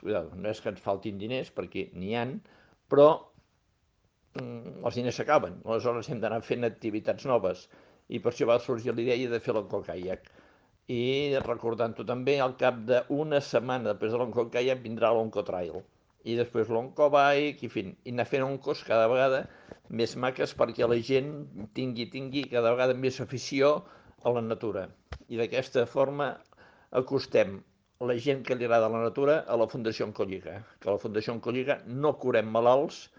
no és que ens faltin diners, perquè n'hi han, però els diners s'acaben. Aleshores hem d'anar fent activitats noves. I per això va sorgir la idea de fer l'oncocaiac. I recordant-ho també, al cap d'una setmana després de l'oncocaiac vindrà l'oncotrail. I després l'oncobike, i, fin, i anar fent oncos cada vegada més maques perquè la gent tingui cada vegada més afició a la natura. I d'aquesta forma acostem la gent que li agrada la natura a la Fundació Oncolliga, que a la Fundació Oncolliga no curem malalts,